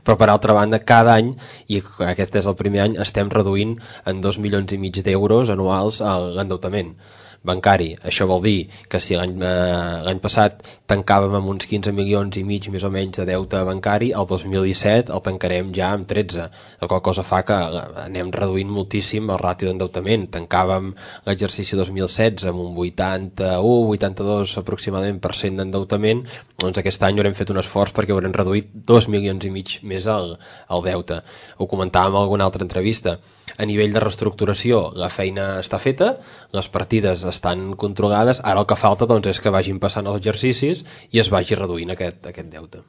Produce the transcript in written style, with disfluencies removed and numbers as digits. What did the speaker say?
Però per altra banda, cada any, i aquest és el primer any, estem reduint en 2,5 milions d'euros anuals l'endeutament bancari. Això vol dir que si l'any passat tancàvem amb uns 15,5 milions més o menys de deute bancari, el 2017 el tancarem ja amb 13, la qual cosa fa que anem reduint moltíssim el ràtio d'endeutament. Tancàvem l'exercici 2016 amb un 81-82 aproximadament % d'endeutament, doncs aquest any haurem fet un esforç perquè haurem reduït 2,5 milions més el deute. Ho comentàvem en alguna altra entrevista. A nivell de reestructuració la feina està feta, les partides estan controlades, ara el que falta doncs, és que vagin passant els exercicis i es vagi reduint aquest deute.